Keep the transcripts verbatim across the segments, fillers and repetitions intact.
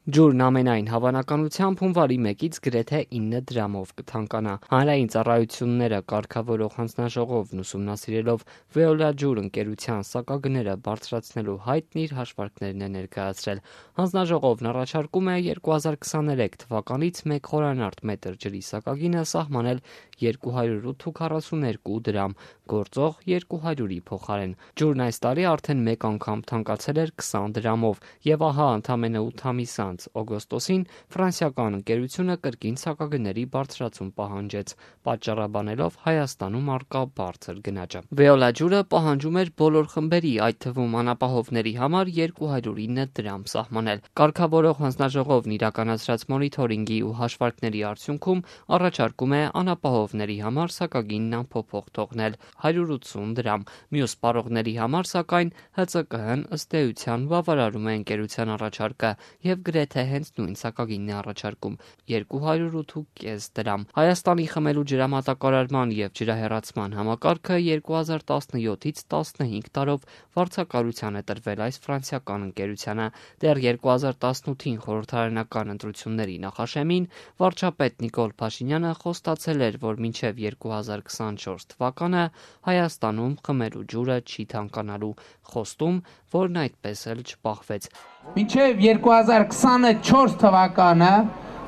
Ջուրն ամենայն հավանականությամբ հունվարի մեկից գրեթե ինը դրամով կթանկանա։ Հանրային ծառայությունները կարգավորող հանձնաժողովն ուսումնասիրելով Veolia ջուր ընկերության սակագները բարձրացնելու հայտն իր հաշվարկներն է ներկայացրել։ Հանձնաժողովն առաջարկում է երկու հազար քսաներեք թվականից մեկ խորանարդ մետր ջրի սակագինը սահմանել երկու հարյուր ութ ու քառասուներկու դրամ, գործող երկու հարյուրի փոխարեն։ Ջուրն այս տարի արդեն մեկ անգամ թանկացել էր քսան դրամով, եւ ահա ընդամենը ութ ամիս անց օգոստոսին ֆրանսիական ընկերությունը կրկին սակագների բարձրացում պահանջեց, պատճառաբանելով Հայաստանում առկա բարձր գնաճը։ Veolia ջուրը պահանջում էր բոլոր խմբերի, այդ թվում անապահովների համար երկու հարյուր ինը դրամ սահմանել։ Կարգավորող հանձնաժողովն իրականացրած մոնիթորինգի ու հաշվարկների արդյունքում առաջարկում է անապահովների համար սակագինն անփոփոխ թողնել հարյուր ութսուն դրամ։ Մյուս սպառողների համար սակայն Հ Ծ Կ Հ-ն ըստ էության բավարարում է ընկերության առաջարկը եւ գրեթե հենց նույն սակագինն է առաջարկում՝ երկու հարյուր ութ ու կես դրամ։ Հայաստանի խմելու ջրամատակարարման եւ ջրահեռացման համակարգը երկու հազար տասնյոթից տասնհինգ տարով վարձակալության է տրվել այս ֆրանսիական ընկերությանը։ Դեռ երկու հազար տասնութին խորհրդարանական ընտրությունների նախաշեմին վարչապետ Նիկոլ Փաշինյանը խոստացել էր, որ մինչև երկու հազար քսանչորս թվականը Հայաստանում խմելու ջուրը չի թանկանալու, խոստում, որն այդպես էլ չպահվեց։ Մինչև երկու հազար քսանչորս թվականը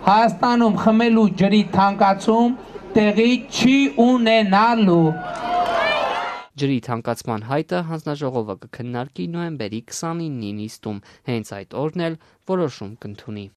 Հայաստանում խմելու ջրի թանկացում տեղի չի ունենալու։ Ջրի թանկացման հայտը հանձնաժողովը կքննարկի նոյեմբերի քսանինին նիստում, հենց այդ օրն էլ որոշում կընդունի։